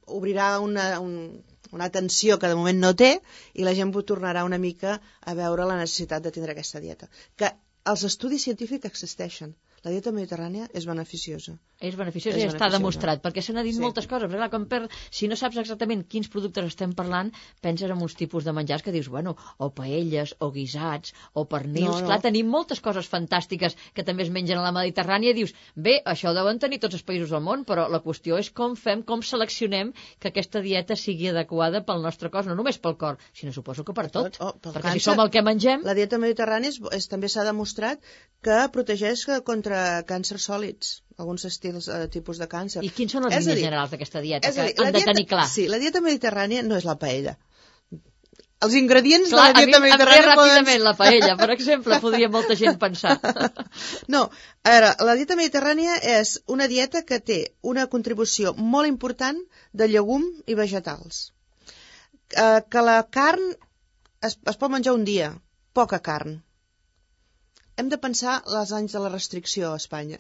Speaker 1: obrirà una atenció que de moment no té i la gent tornarà una mica a veure la necessitat de tindre aquesta dieta. Que els estudis científics existeixen. La dieta mediterrània és beneficiosa.
Speaker 3: És beneficiosa i està demostrat, perquè se n'ha dit moltes coses. Però clar, si no saps exactament quins productes estem parlant, penses en uns tipus de menjars que dius, bueno, o paelles, o guisats, o pernils. Clar, tenim moltes coses fantàstiques que també es mengen a la Mediterrània i dius, bé, això ho deuen tenir tots els països del món, però la qüestió és com seleccionem que aquesta dieta sigui adequada pel nostre cos, no només pel cor, sinó suposo que per tot. Perquè si som el que mengem...
Speaker 1: La dieta mediterrània també s'ha demostrat que protegeix contra càncers sòlids, alguns tipus de càncer.
Speaker 3: I quins són les línies generals d'aquesta dieta que han de tenir clar?
Speaker 1: Sí, la dieta mediterrània no és la paella. Els ingredients de la dieta mediterrània
Speaker 3: ràpidament la paella, per exemple, podria molta gent pensar.
Speaker 1: No, a veure, la dieta mediterrània és una dieta que té una contribució molt important de llegum i vegetals. Que la carn es pot menjar un dia, poca carn. Hem de pensar els anys de la restricció a Espanya.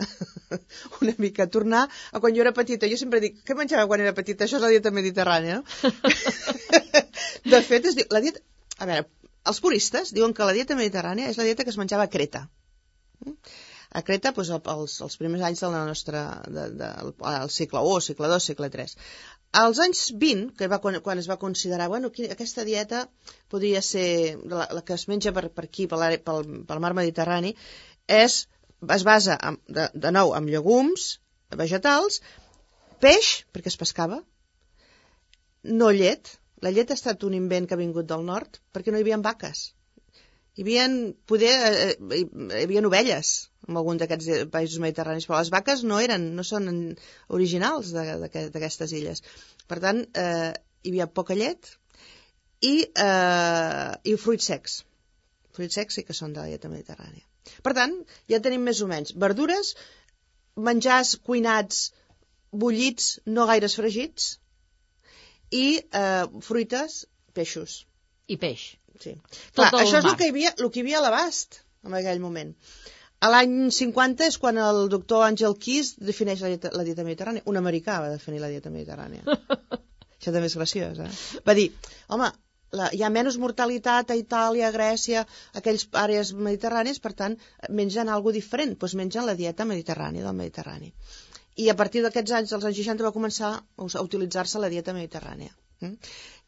Speaker 1: Una mica, tornar a quan jo era petita. Jo sempre dic, què menjava quan era petita? Això és la dieta mediterrània, no? De fet, la dieta... A veure, els puristes diuen que la dieta mediterrània és la dieta que es menjava a Creta. A Creta, doncs, els primers anys del nostre... del segle I, segle II, segle III. Als anys 20, quan es va considerar, bueno, aquesta dieta podria ser la que es menja per aquí, pel mar Mediterrani, es basa, de nou, en llegums, vegetals, peix, perquè es pescava, no llet. La llet ha estat un invent que ha vingut del nord, perquè no hi havia vaques. Hi havia ovelles en algun d'aquests països mediterranis, però les vaques no són originals d'aquestes illes. Per tant, hi havia poca llet i fruits secs. Fruits secs sí que són de la dieta mediterrània. Per tant, ja tenim més o menys verdures, menjars cuinats, bullits, no gaires fregits, i fruites, peixos.
Speaker 3: I peix.
Speaker 1: Sí. Clar, això és el que hi havia a l'abast en aquell moment. A l'any 50 és quan el doctor Àngel Keys defineix la dieta mediterrània. Un americà va definir la dieta mediterrània. Això també és graciós, Va dir, home, hi ha menys mortalitat a Itàlia, a Grècia, aquells àrees mediterrànies, per tant, mengen alguna diferent, doncs mengen la dieta mediterrània del Mediterrani. I a partir d'aquests anys, dels anys 60, va començar a utilitzar-se la dieta mediterrània.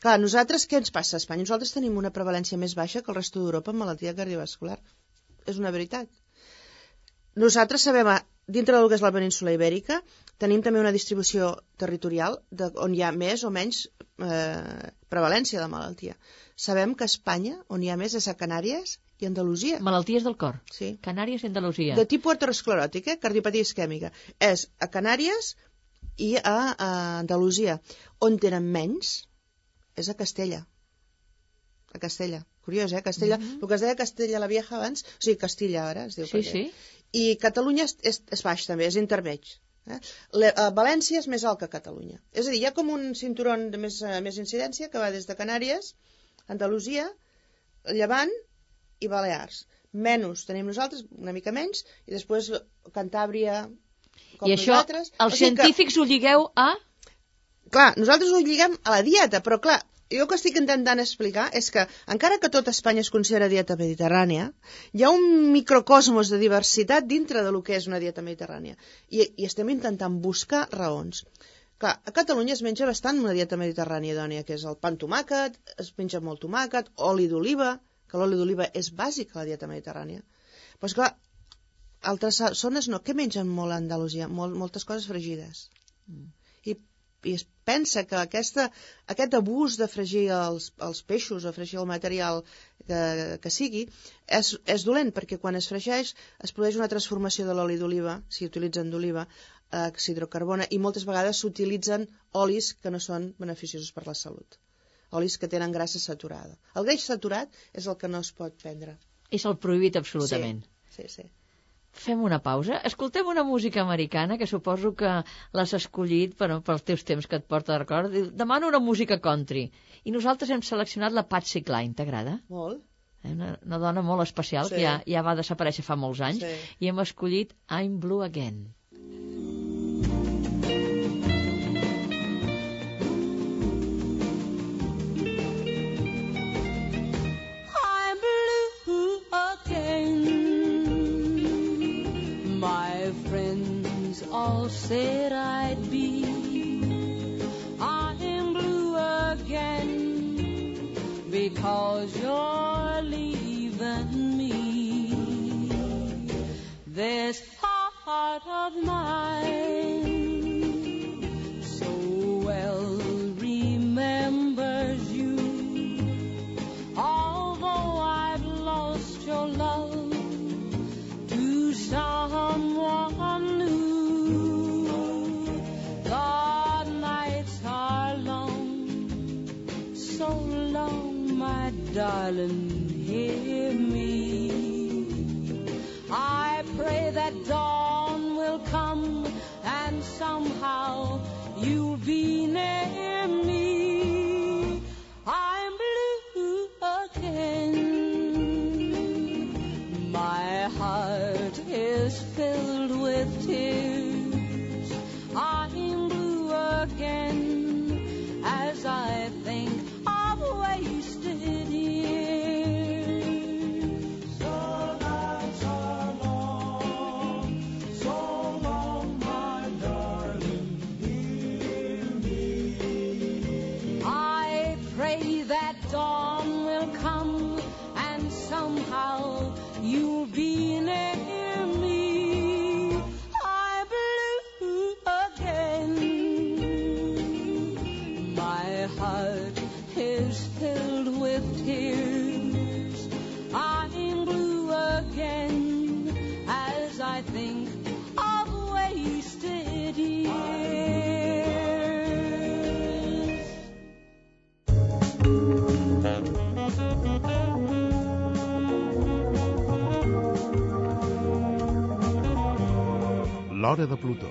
Speaker 1: Clar, nosaltres, què ens passa a Espanya? Nosaltres tenim una prevalència més baixa que el resto d'Europa en malaltia cardiovascular. És una veritat. Nosaltres sabem, dintre del que és la península ibèrica, tenim també una distribució territorial on hi ha més o menys prevalència de malaltia. Sabem que a Espanya, on hi ha més, és a Canàries i Andalusia.
Speaker 3: Malalties del cor.
Speaker 1: Sí.
Speaker 3: Canàries i Andalusia.
Speaker 1: De tipus ateroscleròtic, cardiopatia isquèmica. És a Canàries i a Andalusia. On tenen menys és a Castella. A Castella. Curiós, Castella. El que es deia Castella la Vieja abans, o sigui, Castilla ara es diu.
Speaker 3: Sí, sí.
Speaker 1: I Catalunya és baix també, és intermig. València és més alt que Catalunya. És a dir, hi ha com un cinturó de més incidència que va des de Canàries, Andalusia, Llevant i Balears. Menys tenim nosaltres, una mica menys, i després Cantàbria,
Speaker 3: I això, els científics ho lligueu a...
Speaker 1: Clar, nosaltres ho lliguem a la dieta, però clar, jo el que estic intentant explicar és que, encara que tot Espanya es considera dieta mediterrània, hi ha un microcosmos de diversitat dintre de lo que és una dieta mediterrània. I estem intentant buscar raons. Clar, a Catalunya es menja bastant una dieta mediterrània idònia, que és el pa amb tomàquet, es menja molt tomàquet, oli d'oliva, que l'oli d'oliva és bàsic a la dieta mediterrània. Però, clar, altres zones no. Què mengen molt a Andalusia? Moltes coses fregides. I es pensa que aquest abús de fregir els peixos o fregir el material que sigui és dolent, perquè quan es fregeix es produeix una transformació de l'oli d'oliva, si utilitzen d'oliva, s'hidrocarbona, i moltes vegades s'utilitzen olis que no són beneficiosos per la salut. Olis que tenen grassa saturada. El greix saturat és el que no es pot prendre.
Speaker 3: És el prohibit absolutament.
Speaker 1: Sí.
Speaker 3: Fem una pausa. Escoltem una música americana, que suposo que l'has escollit pels teus temps que et porta de record. Demano una música country. I nosaltres hem seleccionat la Patsy Cline. T'agrada?
Speaker 1: Molt.
Speaker 3: Una dona molt especial, que ja va desaparèixer fa molts anys. I hem escollit I'm Blue Again. All said I'd be. I'm blue again because you're leaving me. This heart of mine so well remembers you. Although I've lost your love to someone new, darling, hear me. I pray that dawn will come and somehow you'll be near me. I'm blue again. My heart is filled with tears. I'm blue again as I think of wasted years. You'll be near me. I'm blue again. My heart is filled with tears. I'm blue again as I think of wasted years.
Speaker 2: L'Hora de Plutó.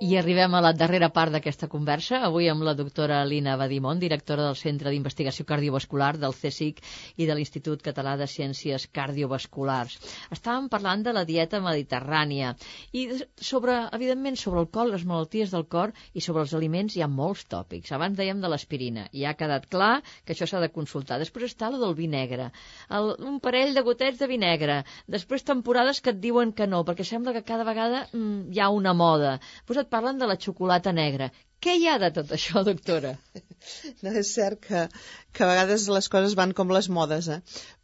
Speaker 3: I arribem a la darrera part d'aquesta conversa, avui amb la doctora Lina Badimon, directora del Centre d'Investigació Cardiovascular del CSIC i de l'Institut Català de Ciències Cardiovasculars. Estàvem parlant de la dieta mediterrània i evidentment, sobre el cor, les malalties del cor i sobre els aliments hi ha molts tòpics. Abans dèiem de l'aspirina, i ha quedat clar que això s'ha de consultar. Després està el del vi negre, un parell de gotets de vi negre, després temporades que et diuen que no, perquè sembla que cada vegada hi ha una moda. Després et parlen de la xocolata negra. Què hi ha de tot això, doctora?
Speaker 1: No, és cert que a vegades les coses van com les modes,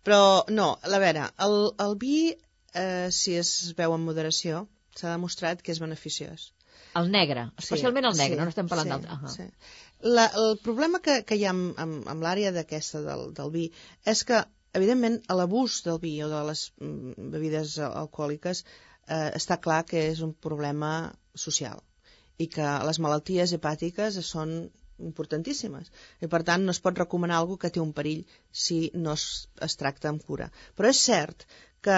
Speaker 1: Però, no, a veure, el vi, si es veu en moderació, s'ha demostrat que és beneficiós.
Speaker 3: El negre, especialment el negre, no estem parlant d'altre.
Speaker 1: Sí. El problema que hi ha amb l'àrea d'aquesta del vi és que, evidentment, l'abús del vi o de les bebides alcohòliques està clar que és un problema social i que les malalties hepàtiques són importantíssimes i per tant no es pot recomanar alguna que té un perill si no es tracta amb cura. Però és cert que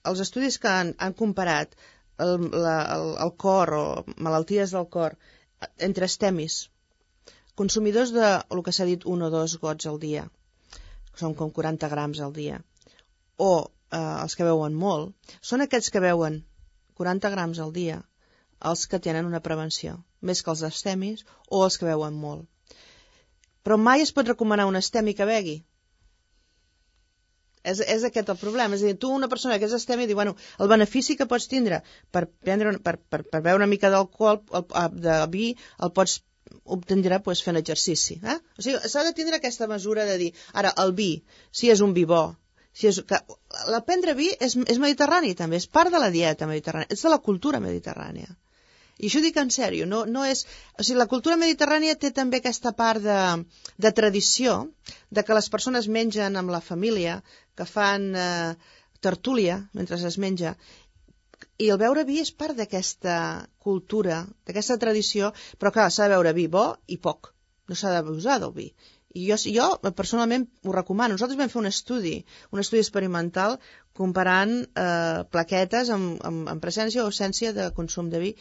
Speaker 1: els estudis que han comparat el cor o malalties del cor entre estemis, consumidors de el que s'ha dit 1 o 2 gots al dia, són com 40 grams al dia, o els que beuen molt, són aquests que beuen 40 grams al dia els que tenen una prevenció, més que els abstemis o els que beuen molt. Però mai es pot recomanar un abstemi que begui. És aquest el problema. És a dir, tu, una persona que és abstemi, diu, bueno, el benefici que pots tindre per beure una mica d'alcohol, de vi, el pots obtindre fent exercici. O sigui, s'ha de tindre aquesta mesura de dir, ara, el vi, si és un vi bo, prendre vi és mediterrani també, és part de la dieta mediterrània, és de la cultura mediterrània. I això ho dic en sèrio, no és... O sigui, la cultura mediterrània té també aquesta part de tradició, de que les persones mengen amb la família, que fan tertúlia mentre es menja, i el beure vi és part d'aquesta cultura, d'aquesta tradició, però clar, s'ha de beure vi bo i poc, no s'ha d'abusar del vi. I jo personalment ho recomano. Nosaltres vam fer un estudi experimental comparant plaquetes amb presència o ausència de consum de vi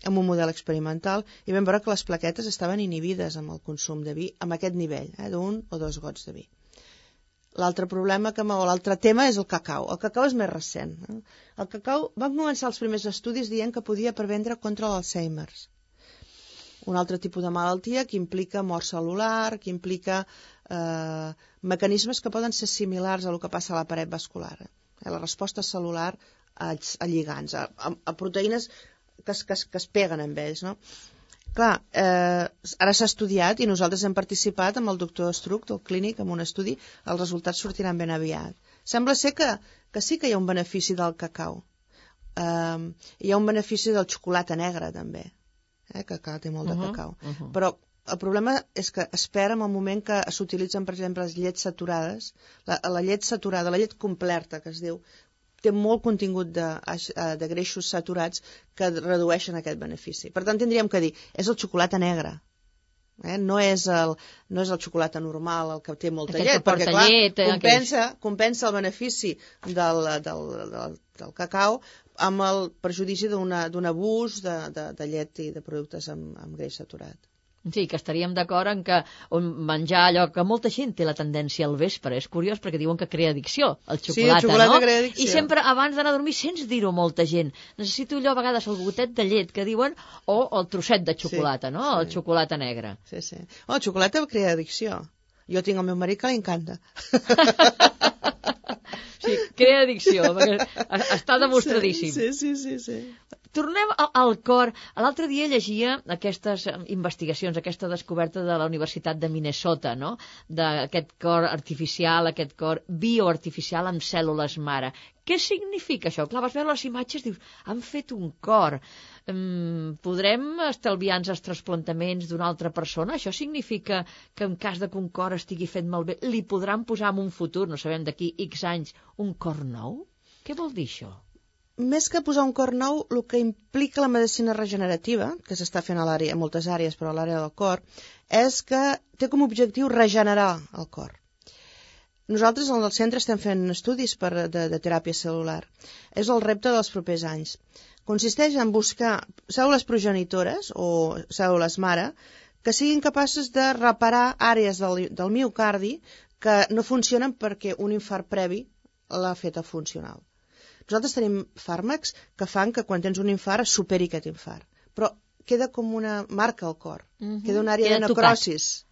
Speaker 1: amb un model experimental i vam veure que les plaquetes estaven inhibides amb el consum de vi amb aquest nivell, d'un o dos gots de vi. L'altre tema és el cacau. El cacau és més recent. El cacau, van començar els primers estudis dient que podia prevendre contra l'Alzheimer. Un altre tipus de malaltia que implica mort cel·lular, que implica mecanismes que poden ser similars a el que passa a la paret vascular. La resposta cel·lular a lligants, a proteïnes que es peguen amb ells, no? Clar, ara s'ha estudiat i nosaltres hem participat amb el doctor Estruc del clínic en un estudi, els resultats sortiran ben aviat. Sembla ser que sí que hi ha un benefici del cacau. Hi ha un benefici del xocolata negra també, que té molt de cacau. Però el problema és que espera en el moment que s'utilitzen, per exemple, les llets saturades, la llet saturada, la llet completa, que es diu, té molt contingut de greixos saturats que redueixen aquest benefici. Per tant, tindríem que dir, és el xocolata negre, no és el xocolata normal, el que té molta llet, perquè clar, compensa el benefici del cacau amb el perjudici d'un abús de llet i de productes amb greix saturat.
Speaker 3: Sí, que estaríem d'acord en que menjar allò que molta gent té la tendència al vespre. És curiós perquè diuen que crea addicció, el xocolata,
Speaker 1: sí, el xocolata,
Speaker 3: no?
Speaker 1: Crea addicció.
Speaker 3: I sempre abans d'anar a dormir sents dir-ho molta gent. Necessito allò a vegades el gotet de llet que diuen o el trosset de xocolata, no? Sí. El xocolata negre.
Speaker 1: Sí. El xocolata crea addicció. Jo tinc el meu marit que li encanta.
Speaker 3: Sí, crea addicció, perquè està demostradíssim.
Speaker 1: Sí.
Speaker 3: Tornem al cor. L'altre dia llegia aquestes investigacions, aquesta descoberta de la Universitat de Minnesota, no? D'aquest cor artificial, aquest cor bioartificial amb cèl·lules mare. Què significa això? Clar, vas veure les imatges, dius, han fet un cor. Podrem estalviar-nos els trasplantaments d'una altra persona? Això significa que en cas de que un cor estigui fet malbé, li podran posar en un futur, no sabem d'aquí X anys, un cor nou? Què vol dir això?
Speaker 1: Més que posar un cor nou, el que implica la medicina regenerativa, que s'està fent a moltes àrees, però a l'àrea del cor, és que té com a objectiu regenerar el cor. Nosaltres al centre estem fent estudis de teràpia cel·lular. És el repte dels propers anys. Consisteix en buscar cèl·lules progenitores o cèl·lules mare que siguin capaces de reparar àrees del miocardi que no funcionen perquè un infart previ l'ha fet a funcional. Nosaltres tenim fàrmacs que fan que quan tens un infart es superi aquest infart. Però queda com una marca al cor. Queda una àrea de necrosis.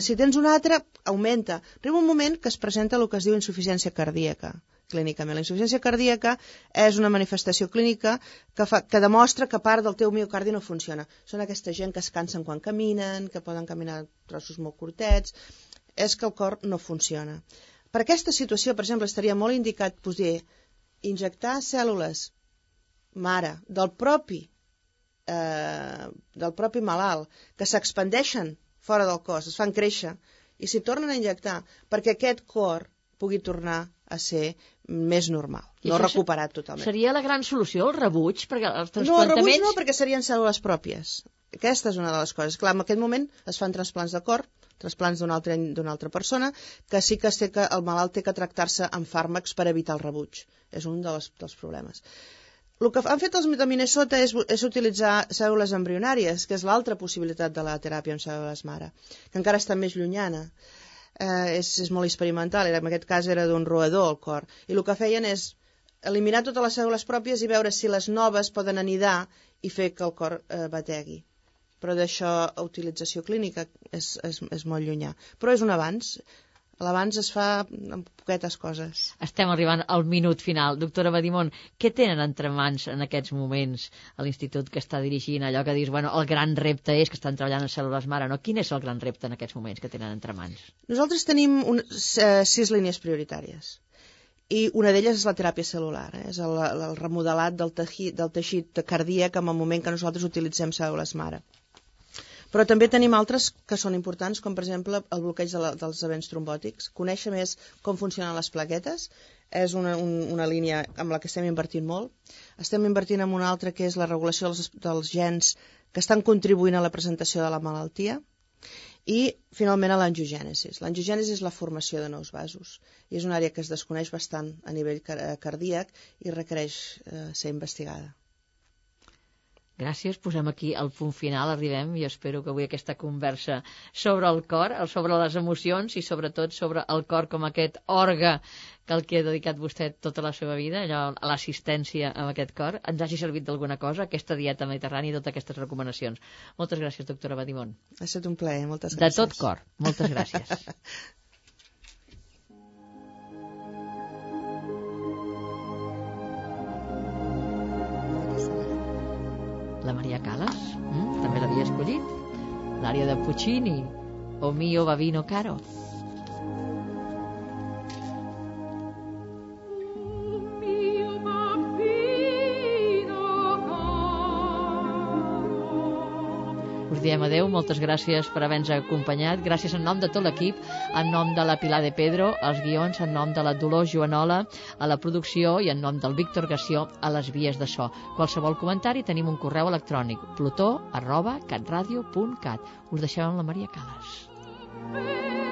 Speaker 1: Si tens una altra, augmenta. Arriba un moment que es presenta el que es diu insuficiència cardíaca, clínicament. La insuficiència cardíaca és una manifestació clínica que demostra que part del teu miocardi no funciona. Són aquesta gent que es cansen quan caminen, que poden caminar trossos molt curtets. És que el cor no funciona. Per aquesta situació, per exemple, estaria molt indicat poder injectar cèl·lules mare del propi malalt que s'expandeixen fora del cos, es fan créixer i s'hi tornen a injectar perquè aquest cor pugui tornar a ser més normal, no recuperat totalment.
Speaker 3: Seria la gran solució, el rebuig? Perquè els
Speaker 1: transplantaments... No, el rebuig no, perquè serien cèl·lules pròpies. Aquesta és una de les coses. Clar, en aquest moment es fan trasplants de cor, trasplants d'una altra persona, que sí que el malalt té que tractar-se amb fàrmacs per evitar el rebuig. És un dels problemes. El que han fet els de Minnesota és utilitzar cèl·lules embrionàries, que és l'altra possibilitat de la teràpia amb cèl·lules mare, que encara està més llunyana. és molt experimental, en aquest cas era d'un roedor el cor, i el que feien és eliminar totes les cèl·lules pròpies i veure si les noves poden anidar i fer que el cor bategui. Però d'això a utilització clínica és molt llunyà. Però és un avanç. L'abans es fa amb poquetes coses.
Speaker 3: Estem arribant al minut final. Doctora Badimon, què tenen entre mans en aquests moments a l'institut que està dirigint? Allò que dius, bueno, el gran repte és que estan treballant en cèl·lules mare, no? Quin és el gran repte en aquests moments que tenen entre mans?
Speaker 1: Nosaltres tenim 6 línies prioritàries. I una d'elles és la teràpia cel·lular, és el remodelat del teixit cardíac en el moment que nosaltres utilitzem cèl·lules mare. Però també tenim altres que són importants, com per exemple el bloqueig dels events trombòtics. Conèixer més com funcionen les plaquetes és una línia amb la que estem invertint molt. Estem invertint en una altra que és la regulació dels gens que estan contribuint a la presentació de la malaltia. I, finalment, a l'angiogènesis. L'angiogènesis és la formació de nous vasos. I és una àrea que es desconeix bastant a nivell cardíac i requereix ser investigada.
Speaker 3: Gràcies, posem aquí el punt final, arribem, i espero que avui aquesta conversa sobre el cor, sobre les emocions i sobretot sobre el cor com aquest òrga que el que ha dedicat vostè tota la seva vida, allò, a l'assistència amb aquest cor, ens hagi servit d'alguna cosa, aquesta dieta mediterrània i totes aquestes recomanacions. Moltes gràcies, doctora Badimon.
Speaker 1: Ha estat un plaer, moltes gràcies.
Speaker 3: De tot cor, moltes gràcies. La Maria Callas, també l'havia escollit. L'àrea de Puccini, O mio bambino caro. Us diem adeu, moltes gràcies per haver-nos acompanyat. Gràcies en nom de tot l'equip, en nom de la Pilar de Pedro, als guions, en nom de la Dolors Joanola, a la producció i en nom del Víctor Gassió a les vies de so. Qualsevol comentari tenim un correu electrònic plutó@catradio.cat. Us deixem amb la Maria Callas.